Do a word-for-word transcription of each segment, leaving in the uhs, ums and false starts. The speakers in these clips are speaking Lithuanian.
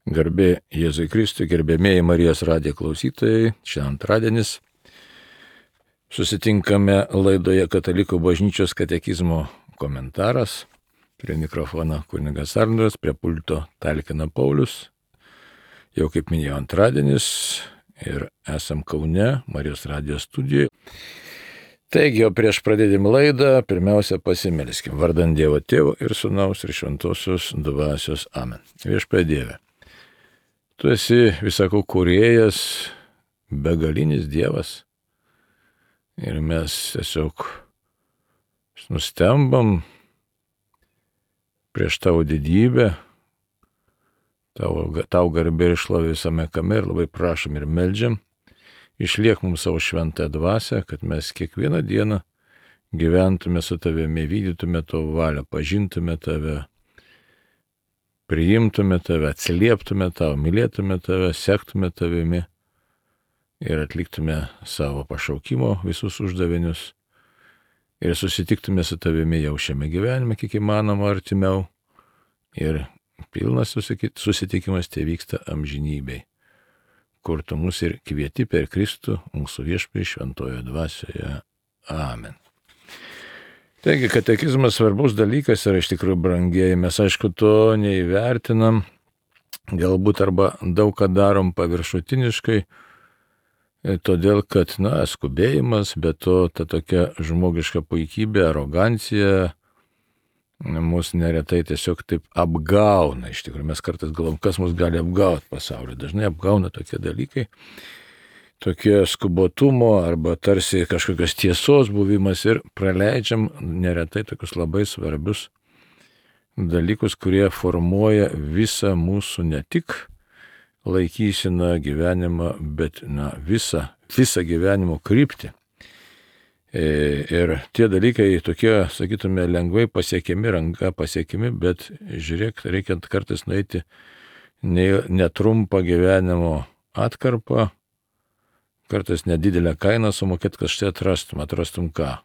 Garbė Jėzui Kristui, gerbėmėjai Marijos radijo klausytojai, šiandien antradienis. Susitinkame laidoje Katalikų bažnyčios katekizmo komentaras. Prie mikrofono kunigas Arnoldas, prie pulto talkina Paulius. Jau kaip minėjau, antradienis ir esam Kaune, Marijos radijo studijoje. Taigi, o prieš pradėdami laidą, pirmiausia pasimelskim. Vardant Dievo Tėvo ir Sūnaus ir Šventosios Dvasios. Amen. Viešpatie Dieve. Tu esi visako kūrėjas, begalinis Dievas. Ir mes tiesiog nustembam prieš tavo didybę, tavo, tau garbė ir šlovė visame kame ir labai prašom ir meldžiam. Išliek mums savo šventą dvasią, kad mes kiekvieną dieną gyventume su tavimi, vykdytume tavo valią, pažintume tave, priimtume tave, atsilieptume tavo, mylėtume tave, sektume tavimi ir atliktume savo pašaukimo visus uždavinius ir susitiktume su tavimi jau šiame gyvenime, kiek įmanoma artimiau, ir pilnas susitikimas tai vyksta amžinybei, kur tu mus ir kvieti per Kristų, mūsų viešpatį šventojo dvasioje. Amen. Taigi, katekizmas svarbus dalykas yra iš tikrųjų, brangieji, mes aišku to neįvertinam, galbūt arba daug ką darom paviršutiniškai, todėl kad, na, skubėjimas, bet to ta tokia žmogiška puikybė, arogancija mus neretai tiesiog taip apgauna. Iš tikrųjų, mes kartais galvom, kas mus gali apgauti pasaulyje. Dažnai apgauna tokie dalykai, tokie skubotumo arba tarsi kažkokios tiesos buvimas ir praleidžiam neretai tokius labai svarbius dalykus, kurie formuoja visą mūsų ne tik laikyseną gyvenimą, bet na, visą, visą gyvenimo kryptį. Ir tie dalykai tokie, sakytume, lengvai pasiekiami, ranka pasiekiami, bet žiūrėk, reikia kartais nueiti netrumpą gyvenimo atkarpą, kartais nedidelę kainą sumokėti, kad štai atrastum, atrastum ką?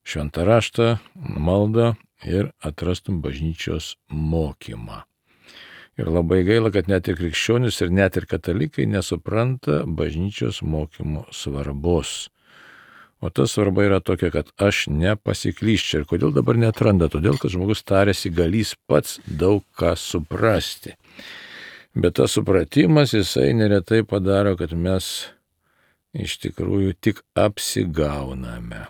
Šventą raštą, maldą ir atrastum bažnyčios mokymą. Ir labai gaila, kad net ir krikščionis ir net ir katalikai nesupranta bažnyčios mokymo svarbos. O ta svarba yra tokia, kad aš nepasiklyščiau. Ir kodėl dabar neatranda? Todėl, kad žmogus tarėsi galys pats daug ką suprasti. Bet tas supratimas jisai neretai padaro, kad mes iš tikrųjų tik apsigauname.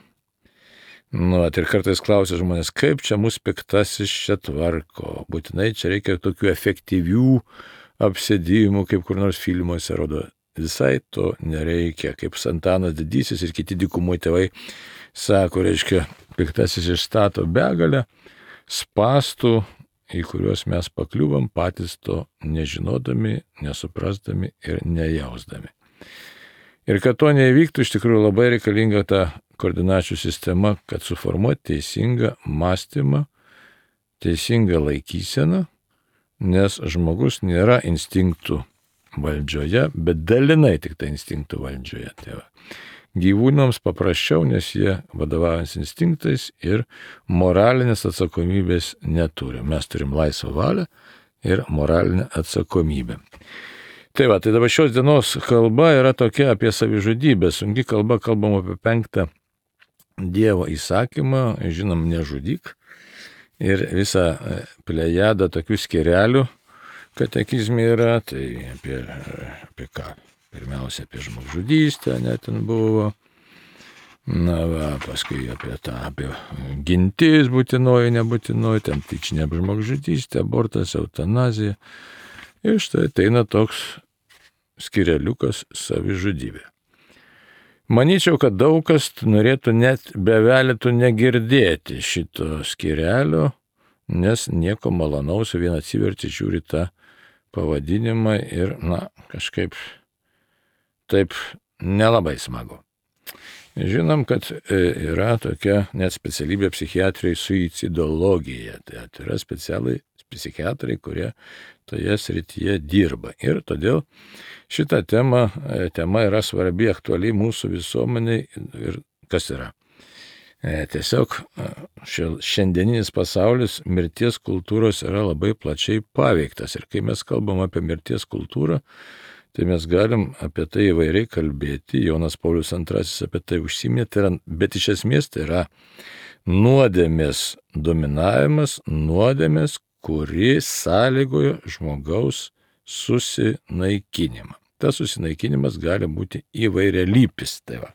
Nu, ir kartais klausia žmonės, kaip čia mūsų piktasis čia tvarko. Būtinai čia reikia tokių efektyvių apsėdimų, kaip kur nors filmuose rodo. Visai to nereikia. Kaip Antanas Didysis ir kiti dykumų tėvai sako, reiškia, piktasis išstato begalę spąstų, į kuriuos mes pakliuvom patys to nežinodami, nesuprasdami ir nejausdami. Ir kad to neįvyktų, iš tikrųjų labai reikalinga ta koordinačių sistema, kad suformuoti teisingą mąstymą, teisingą laikyseną, nes žmogus nėra instinktų valdžioje, bet dalinai tik tai instinktų valdžioje. Tai va. Gyvūnams paprasčiau, nes jie vadovaujasi instinktais ir moralinės atsakomybės neturi. Mes turim laisvą valią ir moralinę atsakomybę. Tai va, tai dabar šios dienos kalba yra tokia apie savižudybę. Sunki kalba, kalbam apie penktą Dievo įsakymą, žinom, nežudyk. Ir visą plejadą tokių skyrelių katekizme yra, tai apie, apie ką? Pirmiausia, apie žmogžudystę, net ten buvo. Na, va, paskui apie tą, apie gintis būtinoji, nebūtinoji, ten tyčinė žmogžudystė, abortas, eutanazija. Ir štai ateina toks skyreliukas savižudybė. Manyčiau, kad daug kas norėtų net bevelėtų negirdėti šito skyrelio, nes nieko malonaus, vien atsiverti žiūri tą pavadinimą ir, na, kažkaip taip nelabai smagu. Žinom, kad yra tokia net specialybė psichiatrijai suicidologija. Tai yra specialiai psichiatrai, kurie toje srityje dirba. Ir todėl šita tema, tema yra svarbi, aktualiai mūsų visuomeniai. Ir kas yra? Tiesiog šiandieninis pasaulis mirties kultūros yra labai plačiai paveiktas. Ir kai mes kalbam apie mirties kultūrą, tai mes galim apie tai įvairiai kalbėti. Jonas Paulius antrasis apie tai užsiminė, tai yra, bet iš esmės tai yra nuodėmės dominavimas, nuodėmės, kuri sąlygojo žmogaus susinaikinimą. Tas susinaikinimas gali būti įvairialypis. Tai va.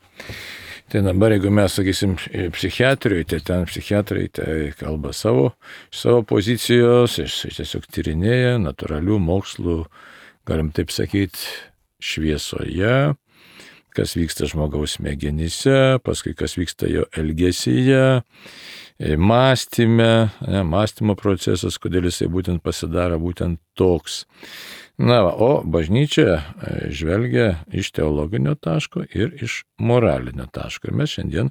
Tai dabar, jeigu mes, sakysim, psichiatrijoje, tai ten psichiatrai tai kalba savo, savo pozicijos, tiesiog tyrinėja natūralių mokslų, galim taip sakyti, šviesoje, kas vyksta žmogaus smegenyse, paskui kas vyksta jo elgesyje, mąstyme, ne, mąstymo procesas, kodėl jisai būtent pasidaro būtent toks. Na, va, o bažnyčia žvelgia iš teologinio taško ir iš moralinio taško. Ir mes šiandien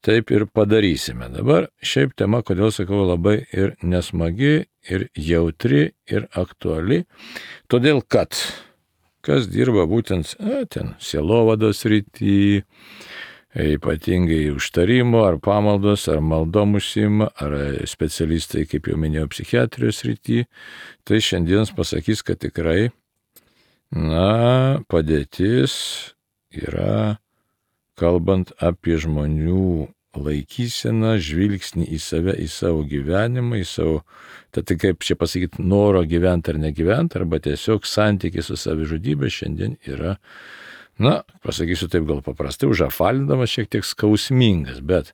taip ir padarysime. Dabar šiaip tema, kodėl sakau, labai ir nesmagi, ir jautri, ir aktuali. Todėl, kad kas dirba būtent a, ten sielovados srity, ypatingai užtarimo, ar pamaldos, ar maldom užsiima, ar specialistai, kaip jau minėjau, psichiatrijos srity, tai šiandien pasakys, kad tikrai, na, padėtis yra, kalbant apie žmonių laikyseną, žvilgsnį į save, į savo gyvenimą, į savo, tai kaip čia pasakyti, noro gyventi ar negyventi, arba tiesiog santykis su savižudybė šiandien yra, na, pasakysiu taip gal paprastai, užafalindamas šiek tiek skausmingas, bet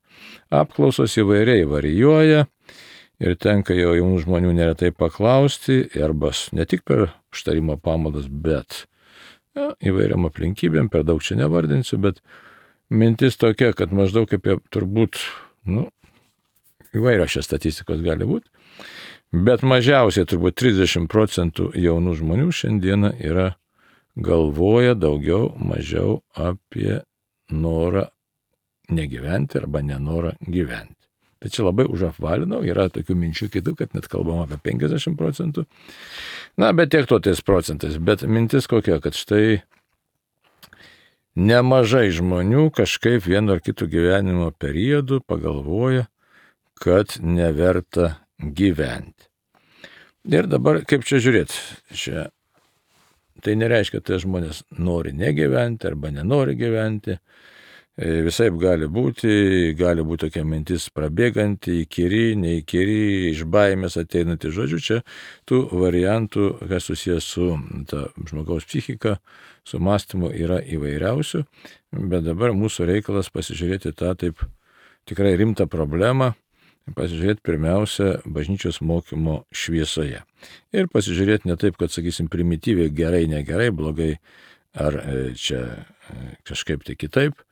apklausos įvairiai varijuoja ir tenka jau jaunų žmonių neretai paklausti, arba ne tik per užtarimo pamaldas, bet ja, įvairiam aplinkybėm, per daug čia nevardinsiu, bet mintis tokia, kad maždaug apie turbūt, nu, įvairios šios statistikos gali būti, bet mažiausiai turbūt trisdešimt procentų jaunų žmonių šiandieną yra galvoja daugiau, mažiau apie norą negyventi arba nenorą gyventi. Tai čia labai užapvalinau, yra tokių minčių kitų, kad net kalbam apie penkiasdešimt procentų. Na, bet tiek to tais procentais. Bet mintis kokia, kad štai nemažai žmonių kažkaip vienu ar kitų gyvenimo periodų pagalvoja, kad neverta gyventi. Ir dabar kaip čia žiūrėti? Čia tai nereiškia, kad tai žmonės nori negyventi arba nenori gyventi. Visaip gali būti, gali būti tokia mintis prabėganti, įkyri, neįkyri, iš baimės ateinanti. Žodžiu, čia tų variantų, kas susijęs su ta žmogaus psichika, su mąstymu yra įvairiausių, bet dabar mūsų reikalas pasižiūrėti tą taip tikrai rimtą problemą, pasižiūrėti pirmiausia bažnyčios mokymo šviesoje. Ir pasižiūrėti ne taip, kad, sakysim, primityviai gerai, negerai, blogai, ar čia kažkaip tai kitaip,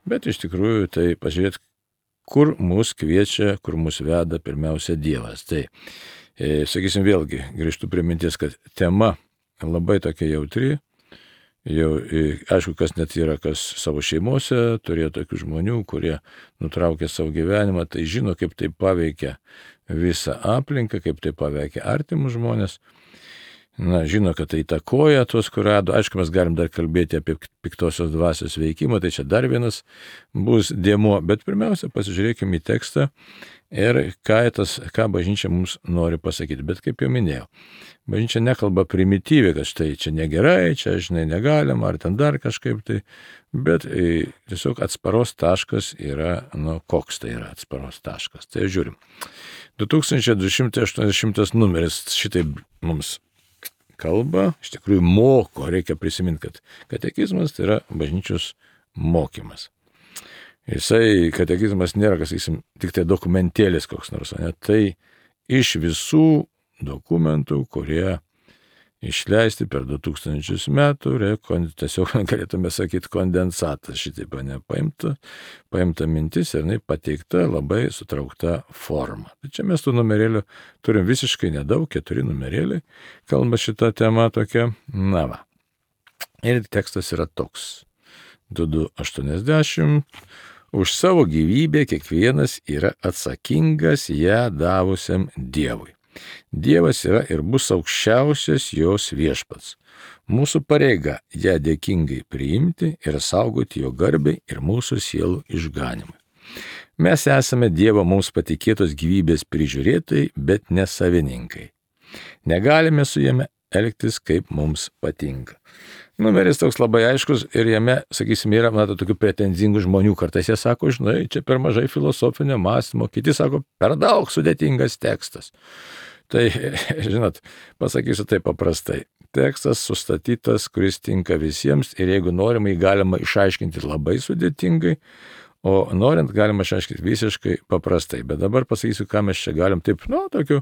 bet iš tikrųjų tai pasižiūrėti, kur mus kviečia, kur mus veda pirmiausia Dievas. Tai, sakysim, vėlgi grįžtu prie minties, kad tema labai tokia jautri. Jau, aišku, kas net yra, kas savo šeimose turėjo tokių žmonių, kurie nutraukė savo gyvenimą, tai žino, kaip tai paveikia visą aplinką, kaip tai paveikia artimus žmonės. Na, žino, kad tai įtakoja tuos, kur rado. Aišku, mes galim dar kalbėti apie piktosios dvasios veikimą, tai čia dar vienas bus dėmuo, bet pirmiausia, pasižiūrėkime į tekstą ir ką, tas, ką bažnyčia mums nori pasakyti. Bet kaip jau minėjau, bažnyčia nekalba primityviai, kad štai čia negerai, čia, žinai, negalima, ar ten dar kažkaip tai, bet e, tiesiog atsparos taškas yra, nu, koks tai yra atsparos taškas. Tai žiūrim. du tūkstančiai du šimtai aštuoniasdešimtas numeris šitai mums kalba, iš tikrųjų moko, reikia prisiminti, kad katekizmas tai yra bažnyčios mokymas. Jisai, katekizmas nėra, kas, sakysim, tik tai dokumentėlis koks nors, ne, tai iš visų dokumentų, kurie išleisti per du tūkstančius metų, rekon, tiesiog galėtume sakyti kondensatas, šitaip nepaimta, paimta mintis ir jinai pateikta labai sutraukta forma. Tai čia mes tų numerėlių turim visiškai nedaug, keturi numerėliai, kalba šitą temą tokia, na va. Ir tekstas yra toks, du du aštuoniasdešimt, už savo gyvybę kiekvienas yra atsakingas ją davusiam Dievui. Dievas yra ir bus aukščiausias jos viešpats. Mūsų pareiga ją dėkingai priimti ir saugoti jo garbei ir mūsų sielų išganimui. Mes esame Dievo mums patikėtos gyvybės prižiūrėtojai, bet ne savininkai. Negalime su jame elgtis, kaip mums patinka. Numeris toks labai aiškus ir jame, sakysime, yra, mato, tokių pretenzingų žmonių. Kartais jie sako, žinai, čia per mažai filosofinio mąstymo, kiti sako, per daug sudėtingas tekstas. Tai, žinot, pasakysiu tai paprastai. Tekstas sustatytas, kuris tinka visiems ir jeigu norima, jį galima išaiškinti labai sudėtingai, o norint galima išaiškinti visiškai paprastai. Bet dabar pasakysiu, ką mes čia galim taip, nu, tokiu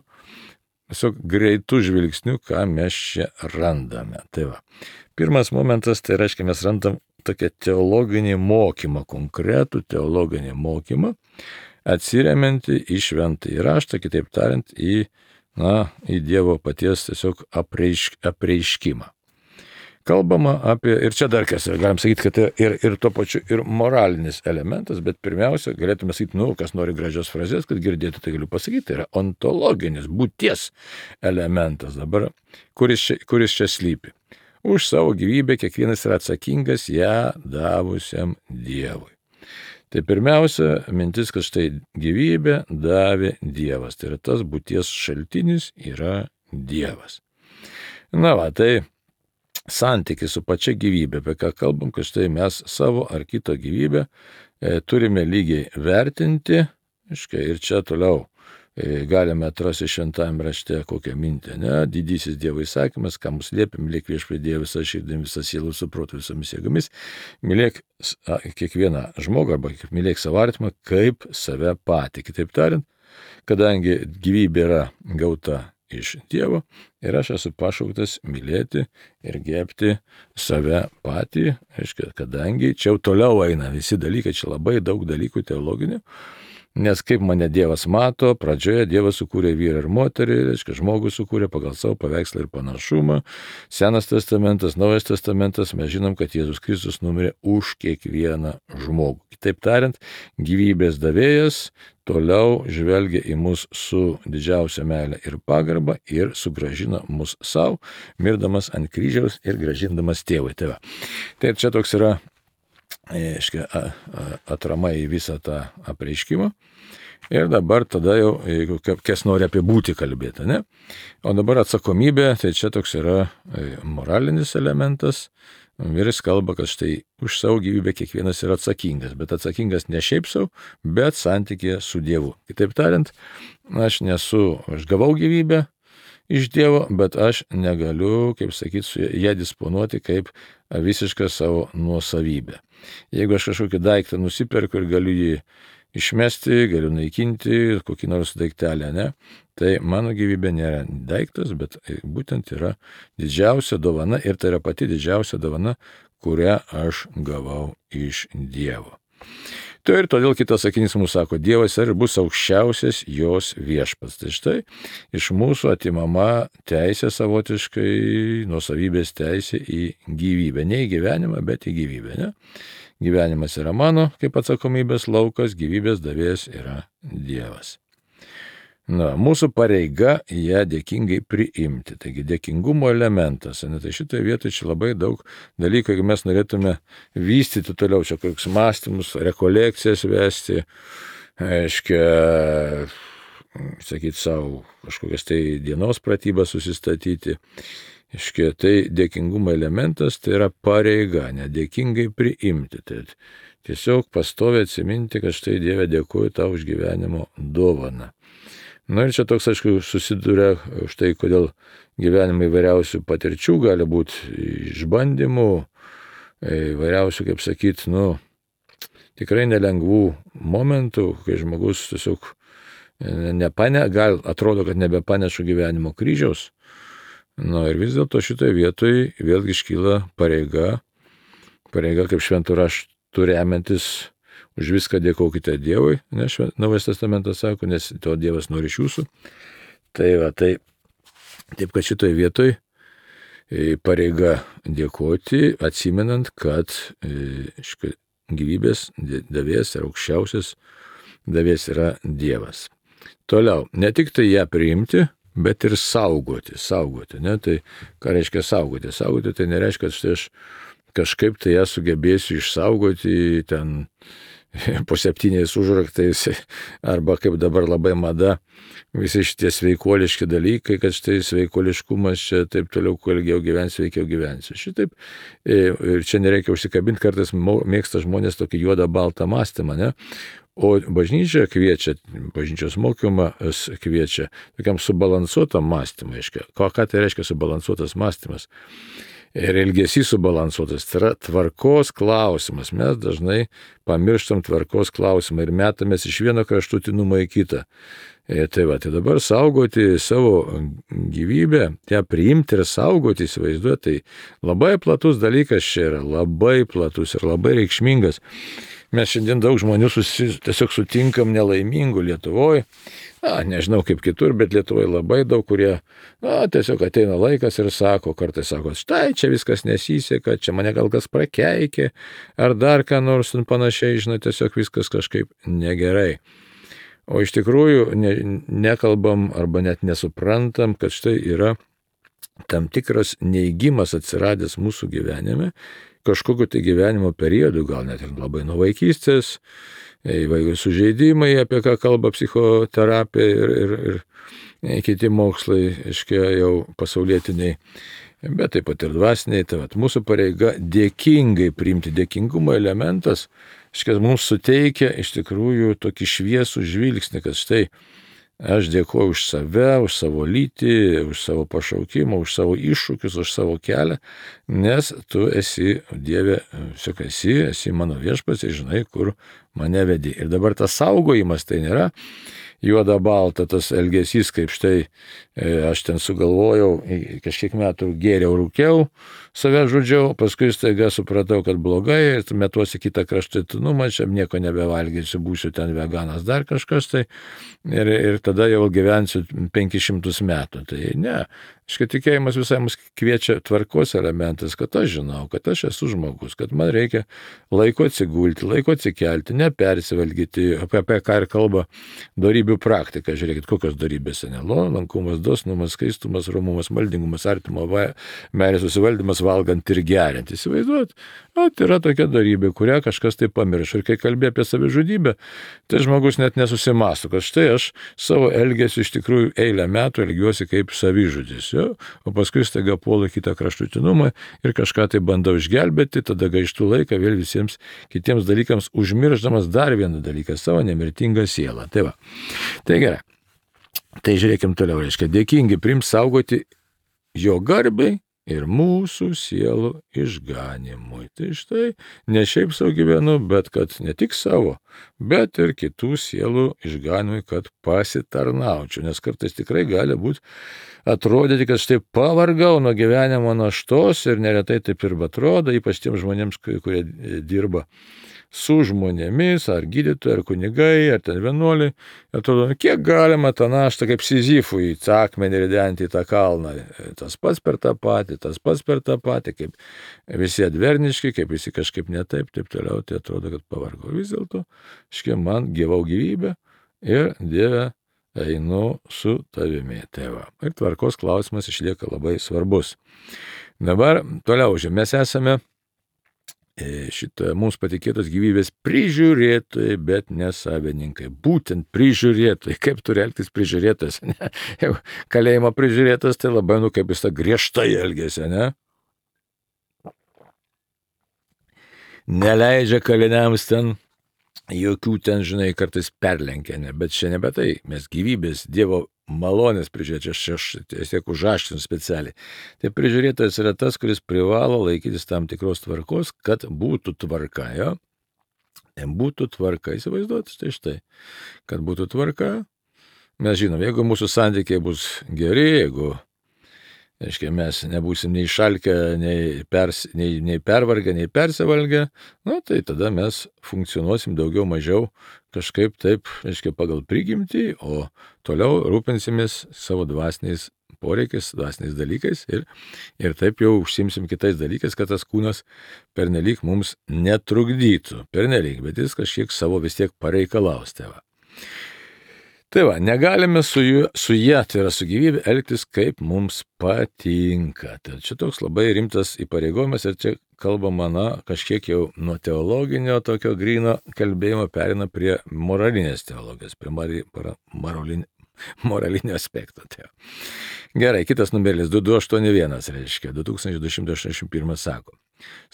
tiesiog greitų žvilgsnių, ką mes čia randame. Tai va. Pirmas momentas, tai reiškia, mes randam tokią teologinį mokymą, konkretų teologinį mokymą, atsiremiantį į šventąjį raštą, kitaip tariant, į, na, į Dievo paties tiesiog apreišk, apreiškimą. Kalbama apie, ir čia dar kas, galim sakyti, kad ir, ir tuo pačiu ir moralinis elementas, bet pirmiausia, galėtume sakyti, nu, kas nori gražios frazės, kad girdėtų, tai galiu pasakyti, tai yra ontologinis, būties elementas dabar, kuris čia, kuris čia slypi. Už savo gyvybę kiekvienas yra atsakingas ją davusiam Dievui. Tai pirmiausia, mintis, kad štai gyvybę davė Dievas, tai yra tas būties šaltinis yra Dievas. Na va, tai santykis su pačia gyvybė, apie ką kalbam, kad štai mes savo ar kito gyvybę e, turime lygiai vertinti, iškai, ir čia toliau e, galime atrasti šventajame rašte kokią mintį, ne, didysis Dievo įsakymas, ką mus liepia, mylėk viešpatį Dievą visą širdimi, visą sielą, su protu, visomis jėgomis, mylėk a, kiekvieną žmogų arba mylėk savo artimą kaip save patį. Kitaip tariant, kadangi gyvybė yra gauta iš Dievo ir aš esu pašauktas mylėti ir gerbti save patį, aiškiai, kadangi čia jau toliau eina visi dalykai, čia labai daug dalykų teologinių, nes kaip mane Dievas mato, pradžioje Dievas sukūrė vyrą ir moterį, aiškiai, žmogų sukūrė pagal savo paveikslą ir panašumą, Senas testamentas, Naujas testamentas, mes žinom, kad Jėzus Kristus numirė už kiekvieną žmogų. Kitaip tariant, gyvybės davėjas toliau žvelgia į mus su didžiausia meile ir pagarba ir sugrąžina mus savo, mirdamas ant kryžiaus ir grąžindamas tėvui. Tai, tai čia toks yra aiškia, atrama į visą tą apreiškimą. Ir dabar tada jau, jeigu kas nori apie būtį kalbėti, ne? O dabar atsakomybė, tai čia toks yra moralinis elementas. Ir jis kalba, kad štai už savo gyvybę kiekvienas yra atsakingas, bet atsakingas ne šiaip savo, bet santykėje su Dievu. Kitaip tariant, aš nesu, aš gavau gyvybę iš Dievo, bet aš negaliu, kaip sakyti, su ją disponuoti kaip visišką savo nuosavybę. Jeigu aš kažkokį daiktą nusiperku ir galiu jį išmesti, galiu naikinti, kokį nors daiktelę, ne? Tai mano gyvybė nėra daiktas, bet būtent yra didžiausia dovana ir tai yra pati didžiausia dovana, kurią aš gavau iš Dievo. Tai ir todėl kitas sakinys mums sako, Dievas ir bus aukščiausias jos viešpats. Tai štai iš mūsų atimama teisė savotiškai, nuosavybės teisė į gyvybę. Ne į gyvenimą, bet į gyvybę, ne? Gyvenimas yra mano, kaip atsakomybės laukas, gyvybės davėjas yra Dievas. Na, mūsų pareiga ją dėkingai priimti. Taigi dėkingumo elementas. Ne, tai šitoje vietoje čia labai daug dalykų, jeigu mes norėtume vystyti toliau čia kokius mąstymus, rekolekcijas vesti, aiškia, sakyti savo kažkokias tai dienos pratybas susistatyti. Aiškia, tai dėkingumo elementas tai yra pareiga, nedėkingai priimti. Tai tiesiog pastoviai atsiminti, kad štai Dieve dėkuoju tau už gyvenimo dovaną. Na ir čia toks, aišku, susiduria štai, kodėl gyvenime įvairiausių patirčių gali būti, išbandymų, įvairiausių, kaip sakyti, nu, tikrai nelengvų momentų, kai žmogus tiesiog nepane, gal atrodo, kad nebepaneša gyvenimo kryžiaus. Na ir vis dėlto šitoje vietoje vėlgi iškyla pareiga, pareiga kaip šventų raštų remiantis, už viską dėkokite Dievui, nes Naujas testamentas sako, nes to Dievas nori iš jūsų. Tai va, tai taip, kad šitoje vietoje pareiga dėkoti, atsimenant, kad e, gyvybės davėjas ir aukščiausias davėjas yra Dievas. Toliau, ne tik tai ją priimti, bet ir saugoti, saugoti, ne? Tai ką reiškia saugoti? Saugoti tai nereiškia, kad štai aš kažkaip tai ją sugebėsiu išsaugoti ten po septyniais užraktais, arba kaip dabar labai mada, visi šitie sveikuoliški dalykai, kad štai sveikuoliškumas čia taip toliau, kuo ilgiau gyvensi, sveikiau gyvensi. Šitaip, ir čia nereikia užsikabinti, kartais mėgsta žmonės tokį juodą baltą mąstymą, ne? O bažnyčia kviečia, bažnyčios mokymas kviečia tokiam subalansuotam mąstymui. Ką, ką tai reiškia subalansuotas mąstymas? Ir elgesys subalansuotas, tai yra tvarkos klausimas. Mes dažnai pamirštam tvarkos klausimą ir metamės iš vieno kraštutinumo į kitą. E, tai va, tai dabar saugoti savo gyvybę, ją priimti ir saugoti, įsivaizduoti, tai labai platus dalykas čia yra, labai platus ir labai reikšmingas. Mes šiandien daug žmonių susi, tiesiog sutinkam nelaimingų Lietuvoje. Na, nežinau kaip kitur, bet Lietuvoje labai daug, kurie, na, tiesiog ateina laikas ir sako, kartais sako, štai čia viskas nesiseka, čia mane gal kas prakeikė, ar dar ką nors panašiai, žinai, tiesiog viskas kažkaip negerai. O iš tikrųjų ne, nekalbam arba net nesuprantam, kad štai yra tam tikras neigimas atsiradęs mūsų gyvenime, kažkokiu tai gyvenimo periodu, gal net ir labai nuo vaikystės, įvairių sužeidimai, apie ką kalba psichoterapija ir, ir, ir kiti mokslai, aiškiai, jau pasaulietiniai, bet taip pat ir dvasiniai. Tai vat, mūsų pareiga dėkingai priimti, dėkingumo elementas, aiškiai, mums suteikia iš tikrųjų tokį šviesų žvilgsnį, kad štai aš dėkuoju už save, už savo lytį, už savo pašaukimą, už savo iššūkius, už savo kelią, nes tu esi, Dieve, tiesiog esi, esi mano viešpats ir žinai, kur mane vedi. Ir dabar tas saugojimas tai nėra juoda balta, tas elgesys, kaip štai aš ten sugalvojau, kažkiek metų gėriau, rūkiau, save žudžiau, paskui staiga supratau, kad blogai, ir metuosi kitą kraštutinumą, čia nieko nebevalgysiu, būsiu ten veganas, dar kažkas tai, ir, ir tada jau gyvensiu penkis šimtus metų. Tai ne, škai tikėjimas visai mus kviečia tvarkos elementas, kad aš žinau, kad aš esu žmogus, kad man reikia laiko atsigulti, laiko atsikelti, nepersivalgyti, apie, apie ką ir kalba dorybių praktika. Žiūrėkit, kokios dorybės, ne? Lankumas, dosnumas, skaistumas, romumas, maldingumas, artimo meilės susivaldymas, valgant ir geriant. Įsivaizduot, o, tai yra tokia dorybė, kurią kažkas tai pamiršo. Ir kai kalbė apie savižudybę, tai žmogus net nesusimąsto, kad štai aš savo elgesiu iš tikrųjų eilę metų elgiuosi kaip savižudis, jo? O paskui staiga puolu kitą kraštutinumą ir kažką tai bandau išgelbėti, tada gaištų laiką vėl visiems kitiems dalykams, užmirždamas dar vieną dalyką, savo nemirtingą sielą. Tai va. Tai gerai. Tai žiūrėkim toliau, reiškia, dėkingi priimt, saugoti jo garbei ir mūsų sielų išganimui. Tai štai, ne šiaip savo gyvenu, bet kad ne tik savo, bet ir kitų sielų išganimui, kad pasitarnaučiau. Nes kartais tikrai gali būti atrodyti, kad štai pavargau nuo gyvenimo naštos ir neretai taip ir atrodo, ypač tiems žmonėms, kurie dirba su žmonėmis, ar gydytojai, ar kunigai, ar ten vienuoliai. Atrodo, kiek galima tą naštą kaip Sizifui į akmenį ridenti į tą kalną. Tas pats per tą patį, tas pats per tą patį, kaip visi adverniški, kaip visi kažkaip netaip, taip toliau, tai atrodo, kad pavargo. Vis dėlto, škia man gyvau gyvybę ir Dieve einu su tavimi. Tai va. Ir tvarkos klausimas išlieka labai svarbus. Dabar toliau, mes esame šitą mums patikėtos gyvybės prižiūrėtojai, bet ne savininkai. Būtent prižiūrėtojai. Kaip turi elgtis prižiūrėtas? Ne? Jau kalėjimo prižiūrėtas, tai labai, nu, kaip jis tą griežtai elgėsi, ne? Neleidžia kaliniams ten jokių ten, žinai, kartais perlenkia, ne? Bet čia nebe tai. Mes gyvybės, Dievo malonės prižiūrėti, aš, aš tiesiog užaštinu specialiai. Tai prižiūrėtojas yra tas, kuris privalo laikytis tam tikros tvarkos, kad būtų tvarka, jo? Būtų tvarka, įsivaizduoti, štai štai. Kad būtų tvarka, mes žinom, jeigu mūsų santykiai bus geri, jeigu, aiškiai, mes nebūsim nei šalkę, nei, pers, nei, nei pervargę, nei persivalgę, nu, tai tada mes funkcionuosim daugiau mažiau kažkaip taip, aiškiai, pagal prigimtį, o toliau rūpinsimės savo dvasiniais poreikiais, dvasiniais dalykais ir, ir taip jau užsimsim kitais dalykais, kad tas kūnas pernelyg mums netrukdytų. Pernelyg, bet jis kažkiek savo vis tiek pareikalaus tėvą. Tai va, negalime su, jų, su jie, tai yra su gyvybė, elgtis kaip mums patinka. Tai čia toks labai rimtas įpareigojimas ir čia kalbama, na, kažkiek jau nuo teologinio tokio gryno kalbėjimo perina prie moralinės teologijos, prie mari, para, moralinio, moralinio aspekto. Tai. Gerai, kitas numeris du du aštuoni vienas reiškia, du tūkstančiai du šimtai aštuoniasdešimt vienas sako.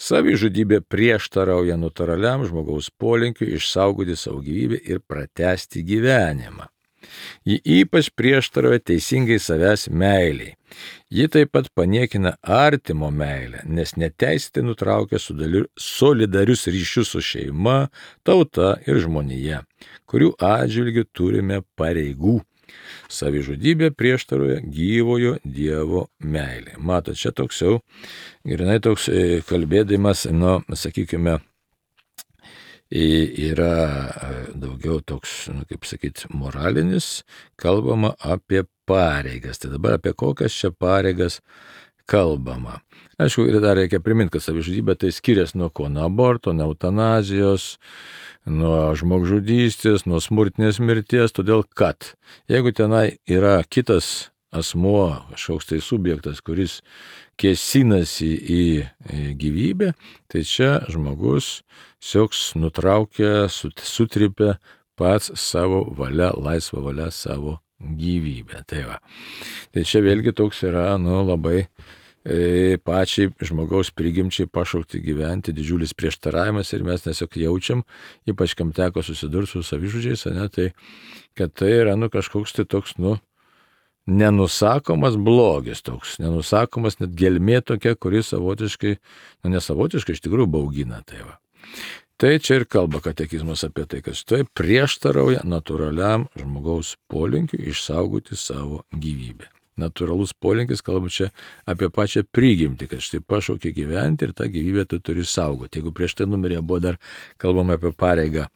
Savižudybė prieštarauja natūraliam žmogaus polinkiui išsaugoti savo gyvybę ir pratęsti gyvenimą. Ji ypač prieštarauja teisingai savęs meiliai. Ji taip pat paniekina artimo meilę, nes neteisėtai nutraukia solidarius ryšius su šeima, tauta ir žmonija, kurių atžvilgiu turime pareigų. Savižudybė prieštarauja gyvojo Dievo meilė. Matot, čia toks jau, grinai toks kalbėdamas, nu, sakykime, yra daugiau toks, nu, kaip sakyti, moralinis, kalbama apie pareigas. Tai dabar apie kokias čia pareigas kalbama. Aišku, ir dar reikia priminti, kad savižudybė tai skiriasi nuo ko, nuo aborto, nuo eutanazijos, nuo žmogžudystės, nuo smurtinės mirties, todėl kad jeigu tenai yra kitas asmuo, kažkoks tai subjektas, kuris kėsinasi į gyvybę, tai čia žmogus siauks nutraukia, sutripia pats savo valia, laisvą valią savo gyvybę. Tai va. Tai čia vėlgi toks yra, nu, labai e, pačiai žmogaus prigimčiai pašaukti gyventi didžiulis prieštaravimas ir mes tiesiog jaučiam, ypač kam teko susidurti su savižudžiais, ne, tai kad tai yra, nu, kažkoks tai toks, nu, nenusakomas blogis toks, nenusakomas net gelmė tokia, kuris savotiškai, nu nesavotiškai, iš tikrųjų baugina. Tai va. Tai čia ir kalba katekizmas apie tai, kad štai prieštarauja natūraliam žmogaus polinkiui išsaugoti savo gyvybę. Natūralus polinkis, kalba čia apie pačią prigimtį, kad štai pašaukia gyventi ir tą gyvybę tu turi saugoti. Jeigu prieš tai numerė buvo dar kalbama apie pareigą,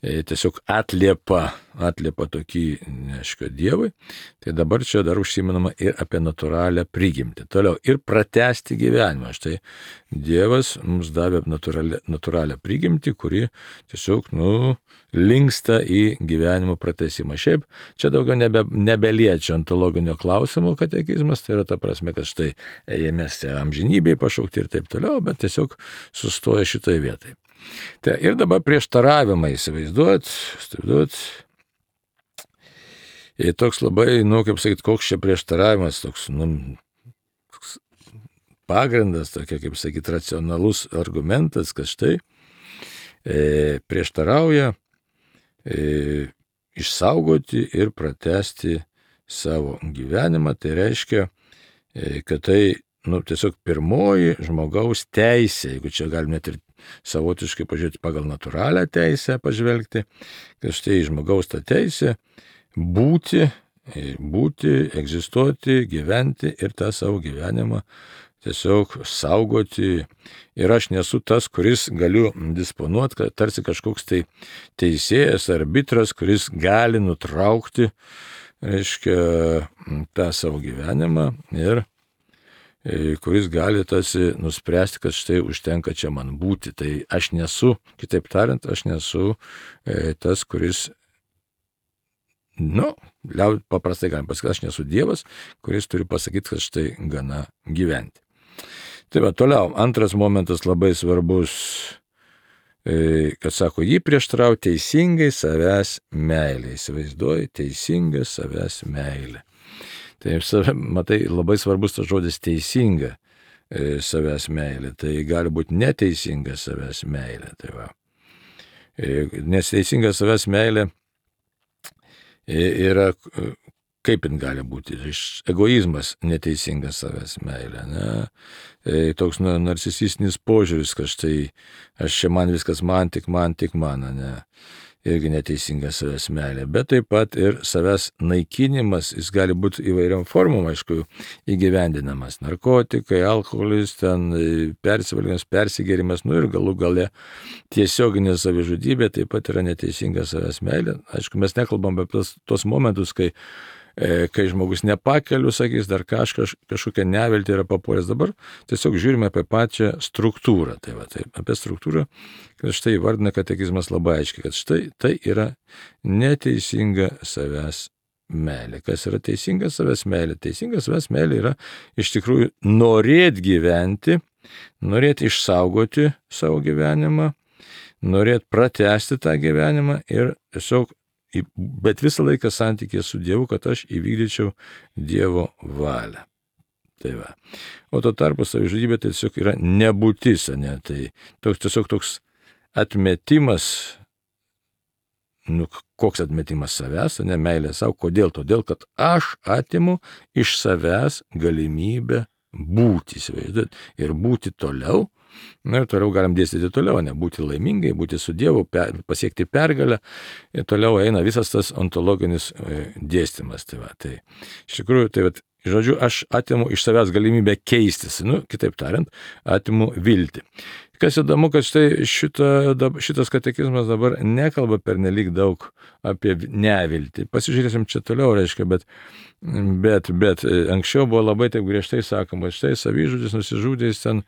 tiesiog atliepa, atliepa tokį, neaišku, Dievui, tai dabar čia dar užsimenama ir apie natūralią prigimtį. Toliau, ir pratęsti gyvenimą. Štai Dievas mums davė natūralią, natūralią prigimtį, kuri tiesiog, nu, linksta į gyvenimo pratęsimą. Šiaip, čia daugiau nebe, nebeliečia ontologinio klausimo katekizmas, tai yra ta prasme, kad štai mes amžinybėje pašaukti ir taip toliau, bet tiesiog sustoja šitoje vietoje. Tai ir dabar prieštaravimai, įsivaizduot, įsivaizduot. Ir toks labai, nu, kaip sakyti, koks čia prieštaravimas, toks, nu, toks pagrindas, tokia, kaip sakyti, racionalus argumentas, kad štai e, prieštarauja e, išsaugoti ir pratęsti savo gyvenimą. Tai reiškia, e, kad tai, nu, tiesiog pirmoji žmogaus teisė, jeigu čia galim net ir savotiškai pažiūrėti pagal natūralią teisę pažvelgti, kad štai žmogaus ta teisė būti, būti, egzistuoti, gyventi ir tą savo gyvenimą tiesiog saugoti. Ir aš nesu tas, kuris galiu disponuoti, kad tarsi kažkoks tai teisėjas, arbitras, kuris gali nutraukti, reiškia, tą savo gyvenimą ir kuris gali tarsi nuspręsti, kad štai užtenka čia man būti. Tai aš nesu, kitaip tariant, aš nesu e, tas, kuris, nu, liaud, paprastai galim pasakyti, aš nesu Dievas, kuris turi pasakyti, kad štai gana gyventi. Tai va, toliau, antras momentas labai svarbus, e, kad sako, jį prieštarauja teisingai savęs meilė. Įsivaizduoji, teisinga savęs meilė. Tai, matai, labai svarbus tas žodis teisinga e, savęs meilė. Tai gali būti neteisinga savęs meilė. Tai va. e, nes teisinga savęs meilė e, yra, kaip jin gali būti, egoizmas neteisinga savęs meilė. Ne? E, toks nu, narcisistinis požiūris, kad štai aš čia man viskas man, tik man, tik man. Ne? Irgi neteisinga savęs meilė, bet taip pat ir savęs naikinimas, jis gali būti įvairiom formom, aišku, įgyvendinamas. Narkotikai, alkoholis, ten persivalgymas, persigėrimas, nu ir galų gale tiesioginė savižudybė taip pat yra neteisinga savęs meilė. Aišku, mes nekalbam apie tos, tos momentus, kai kai žmogus nepakeliu, sakys, dar kažkas, kažkokia neviltį yra papuolęs. Dabar tiesiog žiūrime apie pačią struktūrą. Tai va, tai apie struktūrą, kad štai įvardina katekizmas labai aiškiai, kad štai tai yra neteisinga savęs meilė. Kas yra teisinga savęs meilė? Teisinga savęs meilė yra iš tikrųjų norėti gyventi, norėti išsaugoti savo gyvenimą, norėti pratęsti tą gyvenimą ir tiesiog, bet visą laiką santykė su Dievu, kad aš įvykdyčiau Dievo valią. Tai va. O tuo tarpu savižudybė tai tiesiog yra nebūtis, ne? Tai toks, tiesiog toks atmetimas, nu, koks atmetimas savęs, ne meilė savo, kodėl? Todėl, kad aš atimu iš savęs galimybę būti, įsivaizduot, ir būti toliau. Na ir toliau galim dėstyti toliau, ne, būti laimingai, būti su Dievu, per, pasiekti pergalę, ir toliau eina visas tas ontologinis e, dėstymas. Tai va, tai iš tikrųjų, tai va, žodžiu, aš atimu iš savęs galimybę keistis, nu, kitaip tariant, atimu viltį. Kas įdomu, kad štai šita, šitas katekizmas dabar nekalba pernelyg daug apie neviltį. Pasižiūrėsim čia toliau, reiškia, bet, bet, bet anksčiau buvo labai taip griežtai sakoma, štai savižudis, nusižudęs ten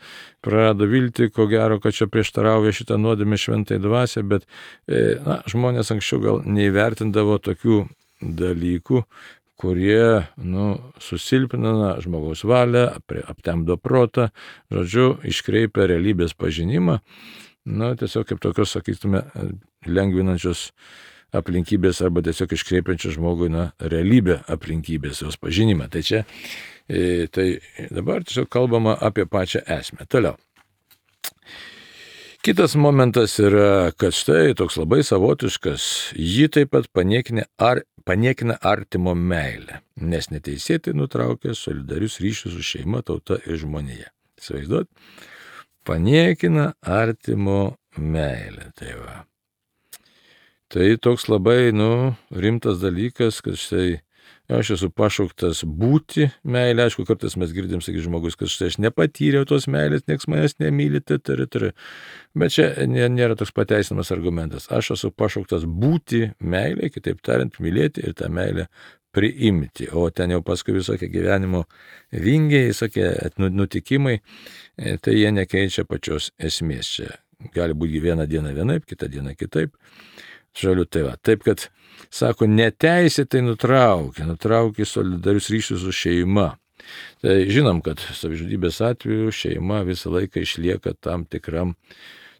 prarado viltį, ko gero, kad čia prieštarauja šitą nuodėmę šventai dvasiai, bet na, žmonės anksčiau gal neįvertindavo tokių dalykų, kurie, nu, susilpnina žmogaus valią, aptemdo protą, žodžiu, iškreipia realybės pažinimą, nu, tiesiog kaip tokios, sakytume, lengvinančios aplinkybės arba tiesiog iškreipiančios žmogui, na, realybę aplinkybės, jos pažinimą. Tai čia, e, tai dabar tiesiog kalbama apie pačią esmę. Toliau. Kitas momentas yra, kad štai toks labai savotiškas, jį taip pat paniekina, ar, paniekina artimo meilę, nes neteisėtai nutraukia solidarius ryšius su šeima, tauta ir žmonija. Įsivaizduot? Paniekina artimo meilę. Tai va. Tai toks labai, nu, rimtas dalykas, kad štai aš esu pašauktas būti meilė. Aišku, kartais mes girdim, sakys žmogus, kad štai aš nepatyriau tos meilės, nieks manęs nemyli, tari, tari. Bet čia nėra toks pateisinamas argumentas. Aš esu pašauktas būti meilė, kitaip tariant, mylėti ir tą meilę priimti. O ten jau paskui visokie gyvenimo vingiai, visokie nutikimai, tai jie nekeičia pačios esmės. Čia gali būti vieną dieną vienaip, kitą dieną kitaip. Žaliu, tai va. Taip, kad, sako, neteisėtai nutraukia, nutraukia solidarius ryšius su šeima. Tai žinom, kad savižudybės atveju šeima visą laiką išlieka tam tikram,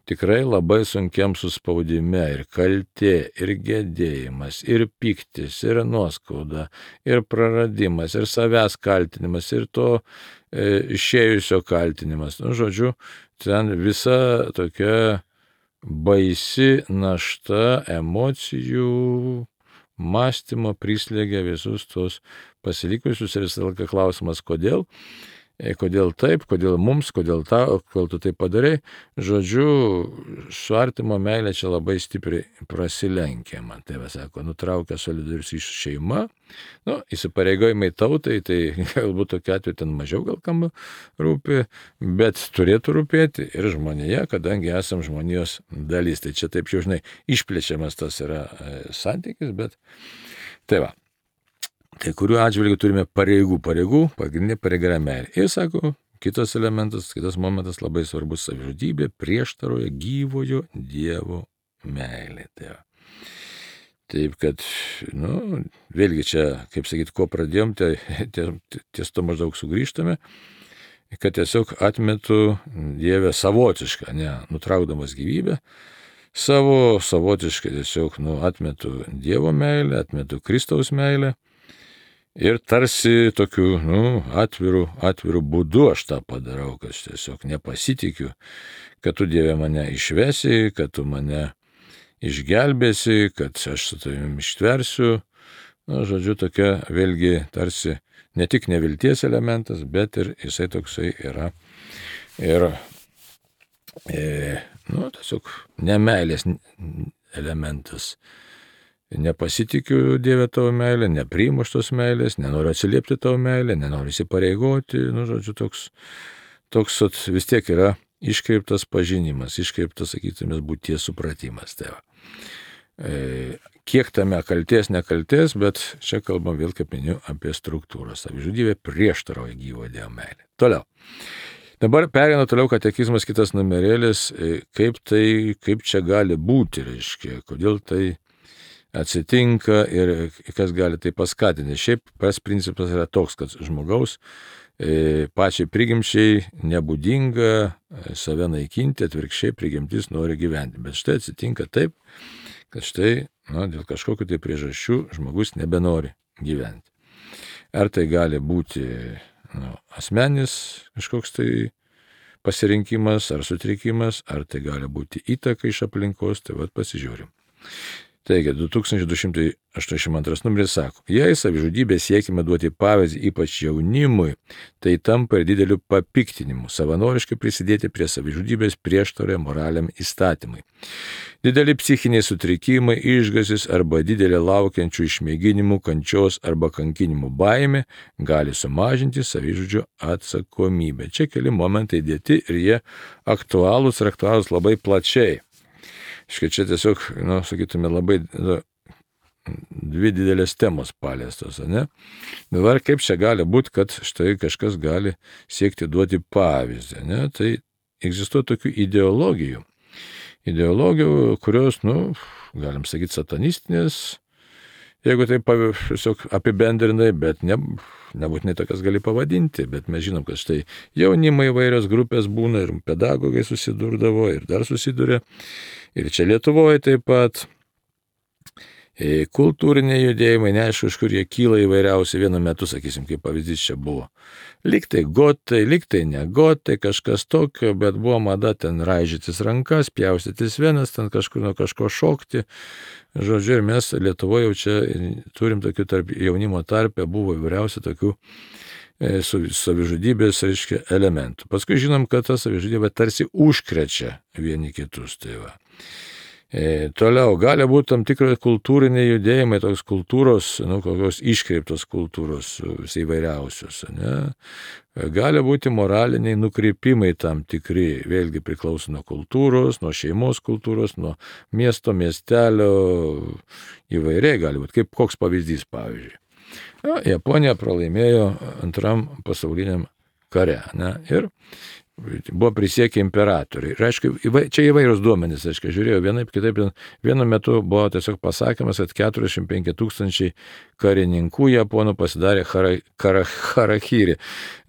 tikrai labai sunkiam suspaudime, ir kaltė, ir gedėjimas, ir piktis, ir nuoskauda, ir praradimas, ir savęs kaltinimas, ir to e, išėjusio kaltinimas. Nu, žodžiu, ten visa tokia baisi našta emocijų, mąstymo prislėgia visus tos pasilikusius, ir visą laiką klausimas, kodėl, kodėl taip, kodėl mums, kodėl ta, kodėl tu tai padarai. Žodžiu, su artimo meilė čia labai stipriai prasilenkia, man tai va sako, nutraukia solidarius iš šeima, nu, įsipareigojimai tautai, tai galbūt tokia atveju ten mažiau gal kam rūpi, bet turėtų rūpėti ir žmonėje, kadangi esam žmonijos dalis. Tai čia taip jau, žinai, išplečiamas tas yra santykis, bet tai va. Tai kuriuo atžvilgiu turime pareigų, pareigų, pagrindinė pareiga yra meilė. Ir sako, kitas elementas, kitas momentas labai svarbus, savižudybė prieštaroja gyvojo Dievo meilė. Tai va. Taip, kad, nu, vėlgi čia, kaip sakyti, ko pradėjom, tai ties to maždaug sugrįžtame, kad tiesiog atmetu Dievę savotišką, ne, nutraukdamas gyvybę, savo savotiškai tiesiog, nu, atmetu Dievo meilę, atmetu Kristaus meilę. Ir tarsi tokiu, nu, atviru, atviru būdu aš tą padarau, kad aš tiesiog nepasitikiu, kad tu, Dieve, mane išvesi, kad tu mane išgelbėsi, kad aš su tavimi ištversiu. Na, žodžiu, tokia vėlgi tarsi ne tik nevilties elementas, bet ir jisai toksai yra. Ir, e, nu, tiesiog nemeilės elementas. Nepasitikiu, Dieve, tavo meilę, nepriimu šitos meilės, nenoriu atsiliepti tavo meilę, nenoriu įsipareigoti, nu, žodžiu, toks, toks vis tiek yra iškreiptas pažinimas, iškreiptas, sakytumės, būties supratimas. Tai va. E, kiek tame kalties, nekalties, bet čia kalbam vėl, kaip minėjau, apie struktūrą. Savižudybė prieštarauja gyvo Dievo meilė. Toliau. Dabar perėna toliau katekizmas, kitas numerėlis, kaip tai, kaip čia gali būti, reiškia, kodėl tai atsitinka ir kas gali tai paskatinti. Šiaip pas principas yra toks, kad žmogaus e, pačiai prigimčiai nebūdinga save naikinti, atvirkščiai prigimtis nori gyventi. Bet štai atsitinka taip, kad štai na, dėl kažkokių tai priežasčių žmogus nebenori gyventi. Ar tai gali būti nu, asmenis kažkoks tai pasirinkimas ar sutrikimas, ar tai gali būti įtaka iš aplinkos, tai vad pasižiūrim. Taigi, du tūkstančiai du šimtai aštuoniasdešimt antras numeris sako, jei savižudybė siekime duoti pavyzdį ypač jaunimui, tai tampa ir dideliu papiktinimu, savanoriškai prisidėti prie savižudybės prieštarauja moraliam įstatymui. Dideli psichiniai sutrikimai, išgąstis arba didelė laukiančių išmėginimų, kančios arba kankinimų baimė gali sumažinti savižudžio atsakomybę. Čia keli momentai dėti ir jie aktualūs ir aktualūs labai plačiai. Škai čia tiesiog, nu, sakytume, labai nu, dvi didelės temos paliestos, ne? Dabar kaip čia gali būti, kad štai kažkas gali siekti duoti pavyzdį, ne? Tai egzistuoja tokių ideologijų. Ideologijų, kurios, nu, galim sakyti, satanistinės, jeigu tai tiesiog apibendrinai, bet ne, nebūtinai tokias gali pavadinti, bet mes žinom, kad štai jaunimai įvairios grupės būna ir pedagogai susidurdavo ir dar susiduria. Ir čia Lietuvoje taip pat kultūriniai judėjimai, neaišku, iš kur jie kyla įvairiausiai vienu metu, sakysim, kaip pavyzdys čia buvo. Liktai gotai, liktai ne gotai, kažkas tokio, bet buvo mada ten raižytis rankas, pjaustytis venas, ten kažkur nuo kažko šokti. Žodžiu, ir mes Lietuvoje jau čia turim tokių tarp jaunimo tarpe, buvo įvairiausių tokių e, savižudybės, reiškia, elementų. Paskui žinom, kad ta savižudybė tarsi užkrečia vieni kitus. Tai va. E, toliau, gali būti tam tikrai kultūriniai judėjimai, toks kultūros, nu, kokios iškreiptos kultūros įvairiausios, ne? Gali būti moraliniai nukreipimai tam tikri, vėlgi priklauso nuo kultūros, nuo šeimos kultūros, nuo miesto, miestelio, įvairiai gali būti, kaip koks pavyzdys, pavyzdžiui. Ja, Japonija pralaimėjo antram pasauliniam kare, ne? Ir buvo prisiekę imperatoriai. Ir aišku, čia įvairūs duomenys, aišku, žiūrėjau vienaip, kitaip, vienu metu buvo tiesiog pasakymas, kad keturiasdešimt penki tūkstančiai karininkų japonų pasidarė hara, hara, harakiri,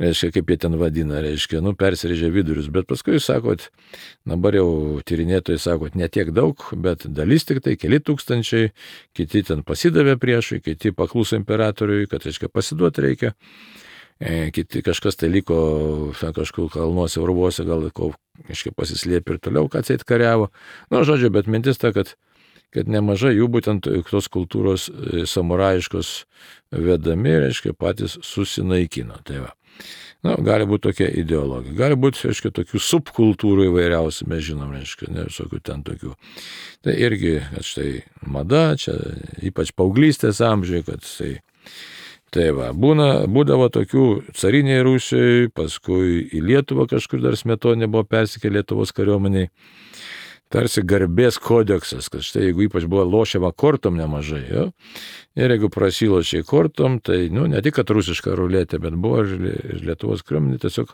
reiškia, kaip jie ten vadina, reiškia, nu, persirėžė vidurius, bet paskui, sakot, dabar jau tyrinėtojai sakot, ne tiek daug, bet dalis tik tai, keli tūkstančiai, kiti ten pasidavė priešui, kiti pakluso imperatoriui, kad, reiškia, pasiduoti reikia. E, kiti kažkas tai liko kažkur kalnuose, urvuose, gal kažkaip pasislėpė ir toliau, kad atseit kariavo. Nu, žodžiu, bet mintis ta, kad, kad nemažai jų būtent tos kultūros samuraiškos vedami, reiškia, patys susinaikino. Tai va. Nu, gali būti tokia ideologija. Gali būti, reiškia, tokių subkultūrų įvairiausių, mes žinom, reiškia, ne visokių ten tokių. Tai irgi, kad štai mada, čia ypač paauglystės amžiai, kad tai Tai va, būna, būdavo tokių cariniai Rusijai, paskui į Lietuvą kažkur dar Smetonė buvo persikė Lietuvos kariuomeniai. Tarsi garbės kodeksas, kad štai jeigu ypač buvo lošiama kortom nemažai, jo, ir jeigu prasilošiai kortom, tai, nu, ne tik kad rusiška ruletė, bet buvo ir Lietuvos kariuomenė tiesiog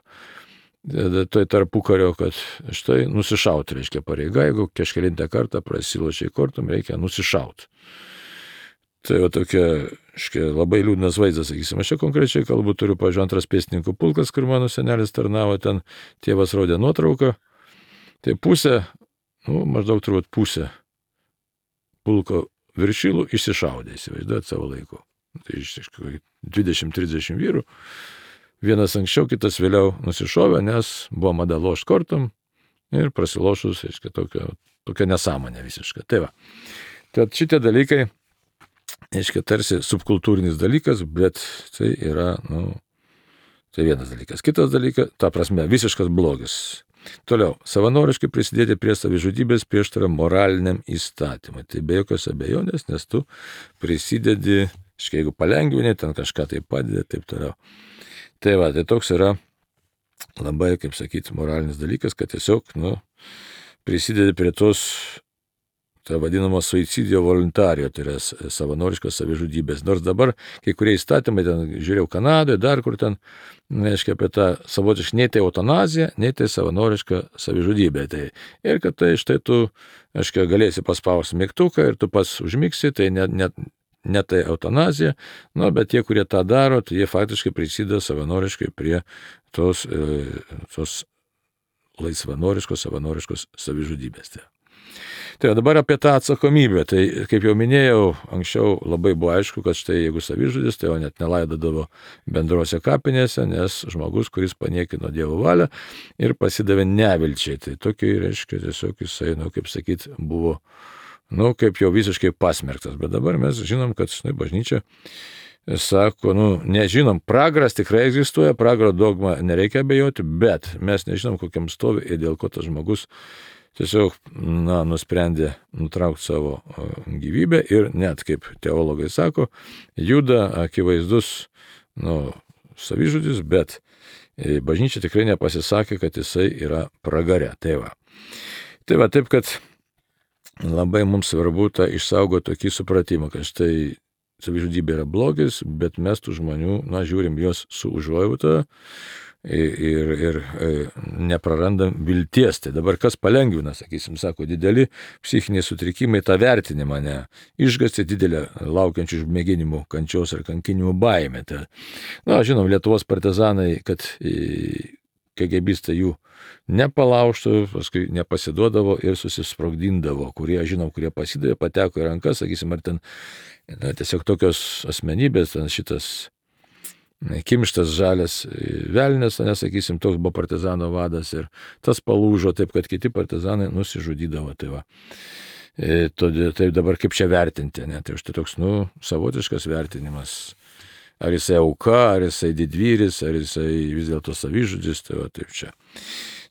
tai tarpukario, kad štai nusišauti reiškia pareiga, jeigu kažkelintą kartą prasilošiai kortom, reikia nusišauti. Tai va tokia, škia, labai liūdnas vaizdas, sakysim. Aš čia konkrečiai kalbu, turiu, pažiūrėjau, antras pėstininkų pulkas, kur mano senelis tarnavo, ten tėvas rodė nuotrauką. Tai pusė, nu, maždaug turbūt pusė pulko viršilų išsišaudė, įsivaizduojat savo laiku. Tai iš dvidešimt trisdešimt vyrų. Vienas anksčiau, kitas vėliau nusišovė, nes buvo mada lošt kortom ir prasilošus, aiškia, tokia, tokia nesąmonė visiškai. Tai va. Tad šitie dalykai, aiškia, tarsi subkultūrinis dalykas, bet tai yra, nu, tai vienas dalykas. Kitas dalykas, ta prasme, visiškas blogis. Toliau, savanoriškai prisidėti prie savižudybės prieštarauja moraliniam įstatymui. Tai be jokios abejonės, nes tu prisidedi, aiškia, jeigu palengvini, ten kažką tai padedi, taip toliau. Tai va, tai toks yra labai, kaip sakyti, moralinis dalykas, kad tiesiog, nu, prisidedi prie tos ta vadinama suicidio voluntario, tai yra savanoriškos savižudybės. Nors dabar kai kurie įstatymai, ten žiūrėjau Kanadoje, dar kur ten, reiškia, apie tą savotišką, nei tai eutanazija, nei tai savanoriška savižudybė. Tai, ir kad tai štai tu, aiškiai, galėsi paspausti mygtuką ir tu pats užmigsi, tai net, net, ne tai eutanazija, nu, bet tie, kurie tą daro, tai jie faktiškai prisideda savanoriškai prie tos, tos laisvanoriškos, savanoriškos savižudybės. Tai. Tai dabar apie tą atsakomybę. Tai, kaip jau minėjau, anksčiau labai buvo aišku, kad štai jeigu savižudis, tai jo net nelaidodavo bendrose kapinėse, nes žmogus, kuris paniekino Dievo valią ir pasidavė nevilčiai. Tai tokiai, reiškia, tiesiog jisai, nu, kaip sakyt, buvo, nu, kaip jau visiškai pasmerktas. Bet dabar mes žinom, kad, štai, bažnyčia sako, nu, nežinom, pragaras tikrai egzistuoja, pragaro dogma nereikia abejoti, bet mes nežinom, kokiam stovi ir dėl ko tas žmogus tiesiog, na, nusprendė nutraukti savo gyvybę ir net, kaip teologai sako, juda akivaizdus, nu, savižudis, bet bažnyčia tikrai nepasisakė, kad jisai yra pragare. Tai va. Tai va, taip, kad labai mums svarbu tą išsaugoti tokį supratimą, kad štai savižudybė yra blogis, bet mes tų žmonių, na, žiūrim juos su užuojauta, Ir, ir, ir neprarandam vilties. Tai dabar kas palengvina, sakysim, sako, dideli psichiniai sutrikimai tą vertinimą, ne išgąstį didelę laukiančių mėginimų, kančios ar kankinimų baimę. Tai, na, žinom, Lietuvos partizanai, kad KGBistai jų nepalaužtų, paskui nepasiduodavo ir susisprogdindavo, kurie, žinom, kurie pasidavė, pateko į rankas, sakysim, ar ten, na, tiesiog tokios asmenybės, ten šitas Kimštas žalias velnės, nesakysim, toks buvo partizano vadas ir tas palūžo taip, kad kiti partizanai nusižudydavo. Tai va. E, todėl, tai dabar kaip čia vertinti, ne? Tai štai toks, nu, savotiškas vertinimas. Ar jisai auka, ar jisai didvyris, ar jisai vis dėlto savižudis, tai va, taip čia.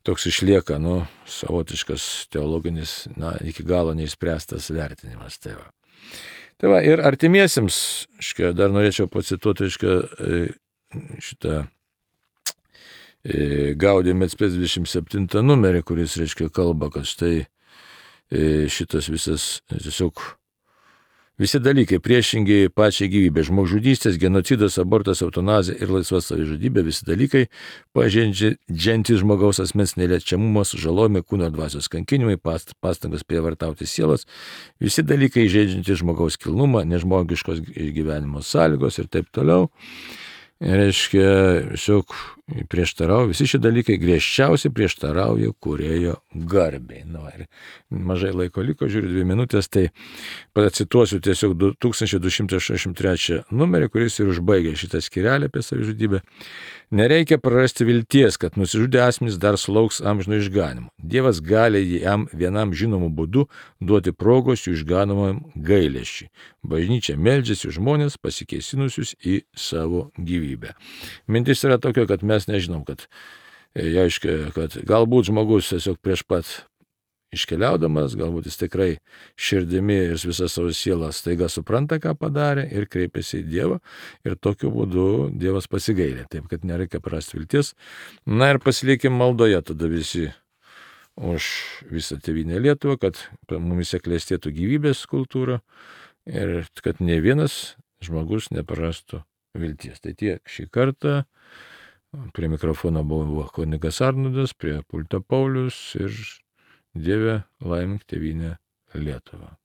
Toks išlieka, nu, savotiškas teologinis, na, iki galo neišspręstas vertinimas. Tai va. Tai va, ir artimiesiems, škia, dar norėčiau pacituoti, škia, šitą Gaudium et Spes dvidešimt septintą numerį, kuris, reiškia, kalba, kad štai šitas visas, tiesiog, visi dalykai priešingi pačiai gyvybė, žmogžudystės, genocidas, abortas, eutanazija ir laisva savižudybė, visi dalykai pažeidžiantys žmogaus asmens neliečiamumas, žalojimai, kūno ir dvasios kankinimai, past, pastangos prievartauti sielas, visi dalykai žaidžiantys žmogaus kilnumą, nežmogiškos gyvenimo sąlygos ir taip toliau. Reiškia, tiesiog prieštarauja, visi šie dalykai griežčiausiai prieštarauja kūrėjo garbei. Nu, ir mažai laiko liko, žiūriu, dvi minutės, tai pacituosiu tiesiog tūkstantis du šimtai šešiasdešimt trečią numerį, kuris ir užbaigė šitą skyrelį apie savižudybę. Nereikia prarasti vilties, kad nusižudę asmenys dar sulauks amžino išganimo. Dievas gali jam vienam žinomu būdu duoti progos jų išganomam gailesčiui. Bažnyčia meldžiasi žmonės pasikeisinusius į savo gyvybę. Mintis yra tokia, kad mes nežinom, kad, aiškia, kad galbūt žmogus tiesiog prieš pat iškeliaudamas, galbūt jis tikrai širdimi ir visą savo sielą staiga supranta, ką padarė ir kreipiasi į Dievą ir tokiu būdu Dievas pasigailė. Taip, kad nereikia prarasti vilties. Na ir pasilikim maldoje tada visi už visą tėvynę Lietuvą, kad mumise klestėtų gyvybės kultūra ir kad ne vienas žmogus neprarastų vilties. Tai tiek šį kartą. Prie mikrofono buvo kunigas Arnoldas, prie pulto Paulius ir Dieve laimink tėvynę Lietuvą.